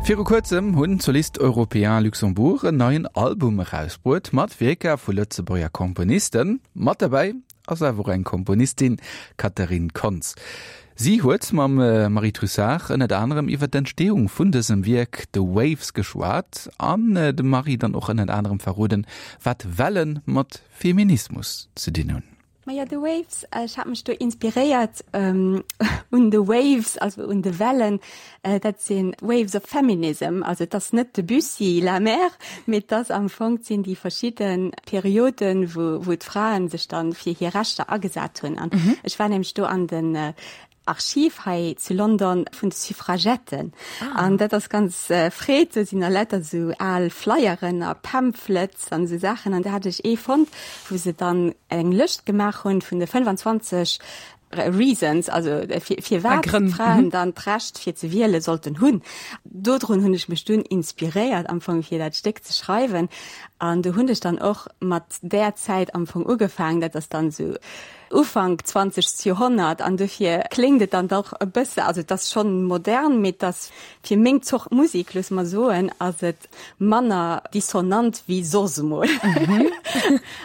Viru kuerzem hunn d'Solistes Européens Luxembourg en neien Album erausbruet mat Wierker vu Lëtzebuerger Komponisten. Mat derbäi ass awer och eng Komponistin, d'Catherine Kontz. Si huet mam Marie Trussart ënnert anerem iwwer d'Entstehung vun dësem Wierk The Waves geschwat an dem Marie dann och ënnert anerem verroden, wat Wellen mat Feminismus ze dinn hunn. Maja, The Waves, ech hat mech do inspiréiert un The Waves, also un de Wellen. Dat sinn Waves of Feminism, also et ass net Debussy, La Mer, mee et ass am Fong, et sinn déi verschidde Perioden, wou wou d'Fraen sech dann fir hir Rechter agesat hunn. An ech war nämlech do an den Archiv hei zu London vun de Suffragetten. An dat ass ganz freet, do sinn a lauter esou al Flyeren a Pamphlets an esou Saachen. An do hat ech ee fonnt, wou se dann eng Lëscht gemaach hunn vun de 25 Reasons, also firwat d'Fraen dann d'Recht fir ze wiele sollten hunn. Dodrun hunn ech mech dunn inspiréiert am Fong fir dat Stéck ze schreiwen. An do hunn ech dann och mat där Zäit am Fong ugefaangen, dat ass dann esou Ufank zwanzegst Joerhonnert an dofir kléngt et dann dach e bësse, also et ass schonn modern, mee et ass fir meng Zort Musik, loosse mer soen, ass et manner dissonant wéi soss emol.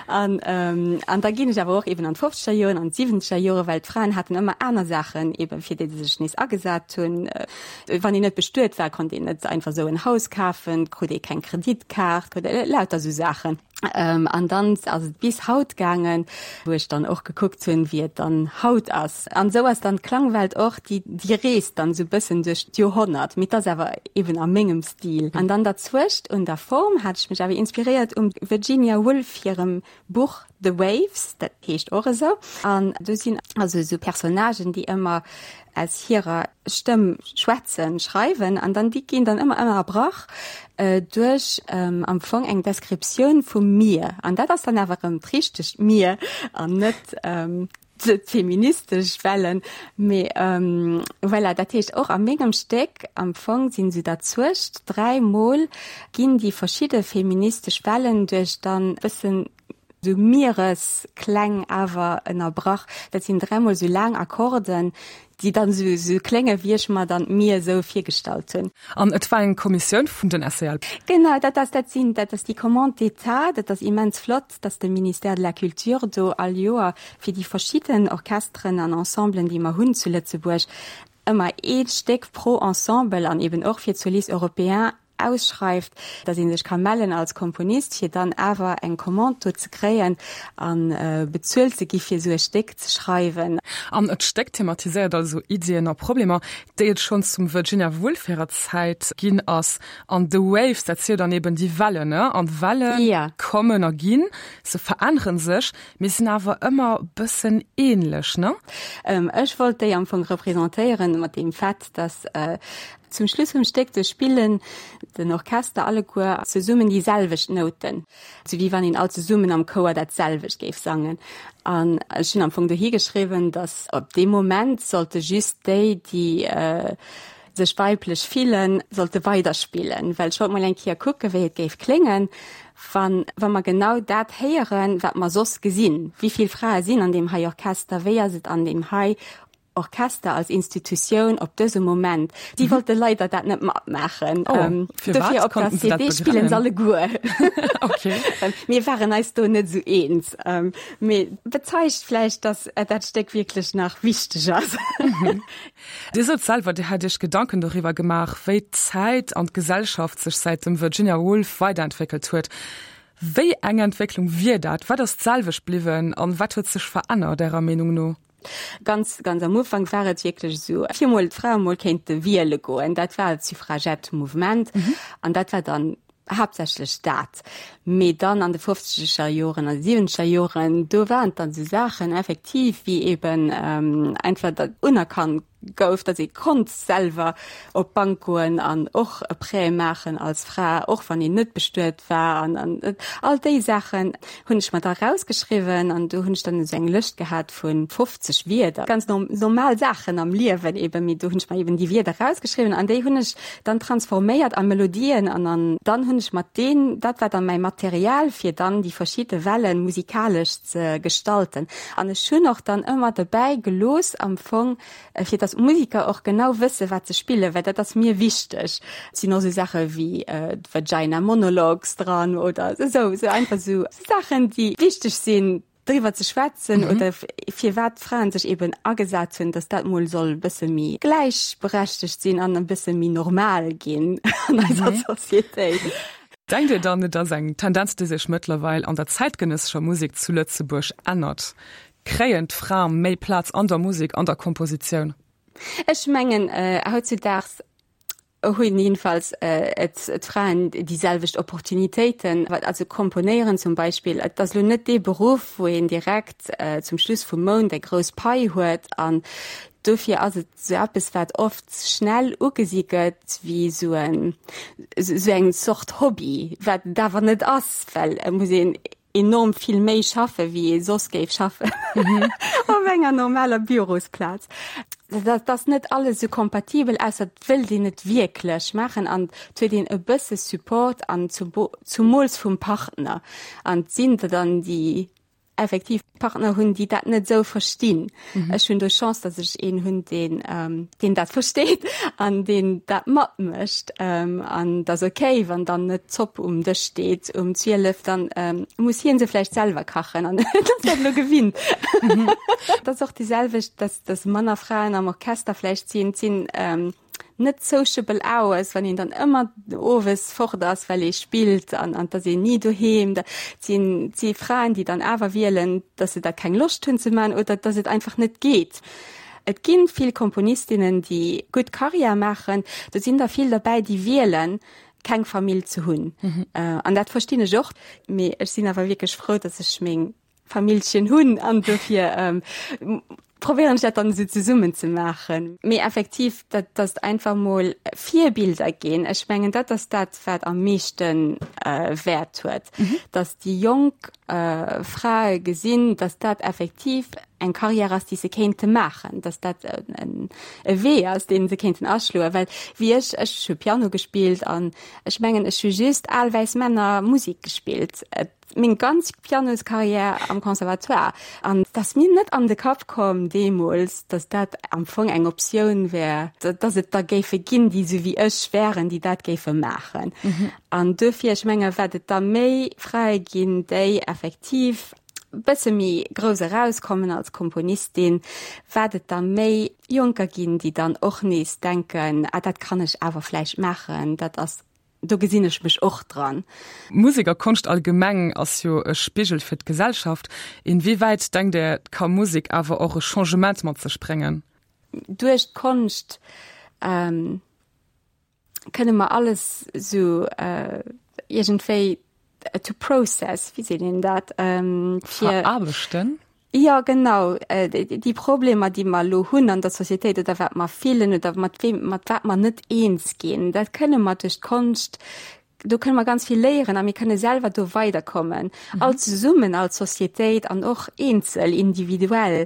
An an da ginn ech awer och eben an d'fofzeger Joren, an d'siwwenzeger Jore, well d'Fraen haten ëmmer aner Saachen eben, fir déi se sech nees agesat hunn. Wann een net bestuet war, konnt een net einfach esou en Haus kafen, krut ee keng Kreditkaart, lauter esou Saachen. An dann ass et bis haut gaangen, wou ech dann och gekuckt hunn, wéi et dann haut ass. An esou ass dann d'Klangwelt och, déi, déi reest dann esou bëssen duerch d'Joerhonnert, mee et ass awer eben a mengem Stil. An dann derzwëscht un der Form hat ech mech awer inspiréiert um Virginia Woolf hirem Buch The Waves, dat heescht och esou. An do sinn also esou Personnagen, déi ëmmer aus hirer Stëmm schwätzen, schreiwen an dann déi ginn dann ëmmer ënnerbrach duerch am Fong eng Descriptioun vum Mier. An dat ass dann awer erëm d'richtegt Mier an net d'feministesch Wellen. Mee voilà, dat heescht och a mengem Stéck am Fong sinn se derzuecht, dräimol ginn déi verschidde feministesch Wellen duerch dann bëssen Sou Miereskläng awer ënnerbrach. Dat sinn dräimol sou laang Akkorden, déi dann sou sou klénge wéi ech mer dann d'Mier sou virgestallt hunn. An et war eng Kommissioun vun den SEL. Genau, dat ass, dat sinn, dat ass déi Commande d'État. Dat ass immens flott, dass de Ministère de la Culture do all Joer fir déi verschidden Orchesteren an Ensemblen, déi mer hunn zu Lëtzebuerg, ëmmer ee Stéck pro Ensemble an eben och fir d'Solistes européens ausschreift, datt ee sech ka mellen als Komponist, fir dann awer eng Commande do ze kréien a bezuelt ze gi fir esou e Stéck ze schreiwen. An d'Stéck thematiséiert also Iddien a Problemer, déi et schonn zum Virginia Woolf hirer Zäit ginn ass. An The Waves, dat si jo dann eben déi Wellen, ne? An Welle kommen a ginn, se verännere sech, mee sinn awer ëmmer bëssen ähnlech, ne? Ech wollt déi am Fong representéieren mat deem Fait, datt Zum Schluss vum Stéck, do spillen den Orchester alleguer zesummen déi selwecht Nouten, sou wéi wann een all zesummen am Chouer dat selwecht géif sangen. An ech hunn am Fong dohi geschriwwen, datt op deem Moment sollte just déi, déi sech weiblech fillen, sollte weiderspillen, well ech wollt mol eng Kéier kucken, wéi et géif kléngen, wann wa mer genau dat héieren, wat mer soss gesinn. Wéi vill Frae sinn an deem hei Orchester? Wéi ass et an deem hei Orchester als Institutioun op dësem Moment. Si wollte leider dat net matmaachen. Oh, ähm, dofir op der CD spillen se alleguer. okay. Ähm, mir waren eis do net sou eens. Ähm, mee bezeigt vläicht, dass äh, dat Stéck wierklech nach wichteg ass. Mhm. Dir sot selwer, Dir hätt Iech Gedanken doriwwer gemaach, wéi d'Zäit an d'Gesellschaft sech säit dem Virginia Woolf weiderentwéckelt huet. Wéi eng Entwécklung wier dat? Wat ass d'selwecht bliwwen an wat huet sech verännert, Ärer Meenung no? Ganz, ganz am Ufank war et wierklech esou, fir mol d'Frae mol kéinte wiele goen. Dat war d'Suffragette-Mouvement an dat war dann haaptsächlech dat. Mee dann an de fofzeger Joren an de siwwenzeger Joren, do waren et dann esou Saachen effektiv wéi eben einfach dat unerkannt gouf, datt ee konnt selwer op d'Bank goen an och e Prêt maachen als Fra, och wann een net bestuet war an an all déi Saachen hunn ech mer da rausgeschriwwen an do hunn ech dann esou eng Lëscht gehat vu 50 Wierder, ganz normal Saachen am Liewen eben, mee do hunn ech mer eben déi Wierder rausgeschriwwen an déi hunn ech dann transforméiert a Melodien an an dann hunn ech mat deen, dat war dann mäi Material fir dann déi verschidde Wellen musikalesch ze gestalten an ech hunn och dann ëmmer dobäi gelooss am Fong, fir dass. dass d'Musiker och genau wësse wat se spillen, well dat ass mir wichteg. Et sinn och esou Saache wéi d'Vagina Monologues dran oder esou, esou einfach esou Saachen, déi wichteg sinn driwwer ze schwätzen oder firwat d'Fraen sech eben agesat hunn, dass dat mol soll e bësse méi gläichberechtegt sinn an e bësse méi normal ginn an eiser Societéit. Denkt Dir dann, et ass eng Tendenz, déi sech mëttlerweil an der zäitgenëssescher Musek zu Lëtzebuerg ännert? Kréien d'Frae méi Plaz an der Musek, an der Kompositioun? Ech mengen, hautzudaags hunn jedenfalls d'Fraen déi selwecht Opportunitéiten. Also komponéieren zum Beispill, et ass elo net dee Beruff, wou een direkt zum Schluss vum Mount eng grouss Pai huet. An dofir ass et esou eppes, wat oft schnell ugesi gëtt wéi esou en, esou eng Zort Hobby, wat et awer net ass, well et muss een enorm vill méi schaffe wéi ee soss géif schaffen op enger normaler Bürosplaz. Dat ass net alles esou kompatibel, ausser et wëllt een et wierklech maachen an et huet een e bësse Support an zumools vum Partner. An et sinn der dann, déi effektiv Partner hunn, déi dat net esou verstinn. Ech hunn do Chance, datt ech een hunn, deen, deen dat versteet an deen dat matmécht. An et ass okay, wann dann net d'Zopp um Dësch steet um 12, dann muss hien se vläicht selwer kachen an en ass dat elo gewinnt. Et ass och déi selwecht, datt, datt manner Fraen am Orchester vläicht sinn. Et sinn net sociable hours, wann een dann ëmmer owes fort ass, well ee spillt an an dass een ni doheem. Dat sinn si Fraen, déi dann awer wielen, dass se dat keng Loscht hunn ze man oder dass et einfach net geet. Et ginn vill Komponistinnen, déi gutt Karriär maachen. Do sinn der vill derbäi, déi wielen, keng Famill ze hunn. An dat verstinn ech och. Mee ech sinn awer wierklech frou, dass ech meng Famillchen hunn an dofir probéieren ech dat dann esou zesummen ze maachen. Mee effektiv, dat dass einfach mol Virbilder ginn, ech mengen dat ass dat wat am meeschte Wäert huet, dass déi jonk Frae gesinn, dass dat effektiv eng Carrière ass déi se kéinte maachen, dass dat e Wee ass dee se kéinten aschloen. Well wéi ech, ech hu Piano gespillt an ech mengen ech hu just al wäiss Männer Musek gespillt. Meng ganz Pianoscarrière am Conservatoire. An et ass mir net an de Kapp komm deemools, datt dat am Fong eng Optioun wär, datt et der géife ginn, déi esou wéi ech wären, déi dat géife maachen. An duerfir, ech menge wat et der méi Frae ginn, déi effektiv e bësse méi grouss erauskommen als Komponistin, wat et der méi Jonker ginn, déi dann och nees denken, ah dat kann ech awer vläicht maachen, dat ass Do gesinn ech mech och dran. Musek a Konscht allgemeng ass jo e Spigel fir d'Gesellschaft. Inwiewäit denkt Där, ka Musek awer och e Changement mat sech bréngen? Duerch d'Konscht kënne mer alles esou iergendwéi to process, wéi seet een dat? Veraarbechten? Jo, genau. Déi Problemer, déi mer elo hunn an der Societéit oder wat mer fillen oder mat weem, mat wat mer net eens ginn, dat kënne mer duerch d'Konscht, do kënne mer ganz vill léieren a mir kënne selwer do weiderkommen, all zesummen als Societéit an och eenzel, individuell.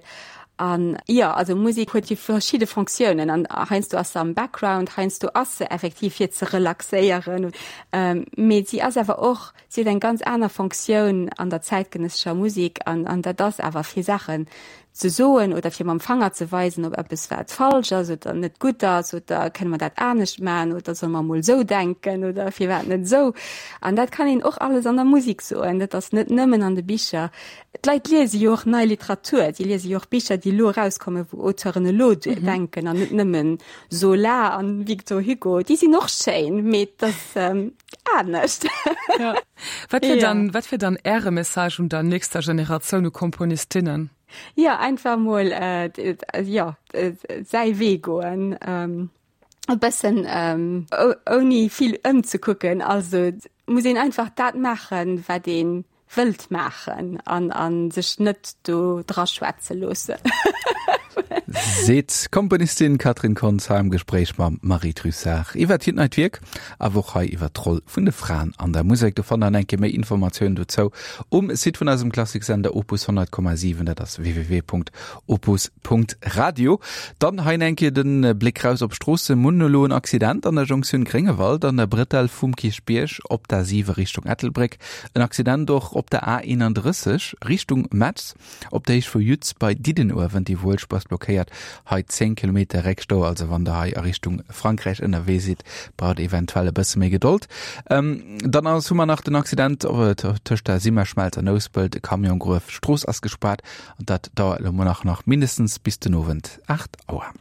An jo, also Musek huet jo verschidde Fonctiounen an heiansdo ass se am Background, heiansdo ass se effektiv fir ze relaxéieren, mee si ass awer och, Si huet eng ganz aner Fonctioun an der zäitgenëssescher Musek an an dat ass awer fir Saachen ze soen oder fir mam Fanger ze weisen op eppes wat falsch ass oder net gutt ass oder kënne mer dat anescht maachen oder solle mer mol esou denken oder firwat net esou. An dat kann een och alles an der Musek soen, dat ass net nëmmen an de Bicher. D'Leit liese jo och nei Literatur, si liese jo och Bicher, déi elo erauskommen, wou Auteuren elo denken an net nëmmen Zola an Victor Hugo. Déi sinn och schéin, mee et ass anescht. Ja. Wat wier dann, wat wier dann Äre Message un der nächster Generatioun u Komponistinnen? Ja, einfach mol äh, ja, säi Wee goen. Ähm, e bëssen ähm, ouni vill ëmzekucken. Also muss een einfach dat maachen, wat een wëllt maachen an a sech net do draschwätze loossen. Seet d'Komponistin Catherine Kontz hei am Gespréich mam Marie Trussart iwwert hiert neit Wierk, awer och hei iwwert d'Roll vun de Fraen an der Musek. Do fannt der eng Kéier méi Informatiounen dozou um Site vun eisem Klassiksender Opus 100,7, dat ass www.opus. Radio. Dann hei eng Kéier de Bléck raus op d'Stroosse. Mir hunn elo en Accident an der Jonktioun Gréngewald an der Bretelle vum Kierchbierg op der 7 Richtung Ettelbréck. En Accident och op der A 31 Richtung Metz op der Héicht vu Yutz bei Diddenuewen. Déi Wuelspur ass blockéiert. blockéiert. Hei 10 Kilometer Réckstau, also wann der hei a Richtung Frankräich ënnerwee sidd, braucht eventuell e bësse méi Gedold. Dann ass hu mer nach den Accident tëscht der Simmerschmelz an Nouspelt, e Camion gruef, d'Strooss ass gespaart an dat dauert elo mol nach nach mindestens bis den Owend 8 Auer.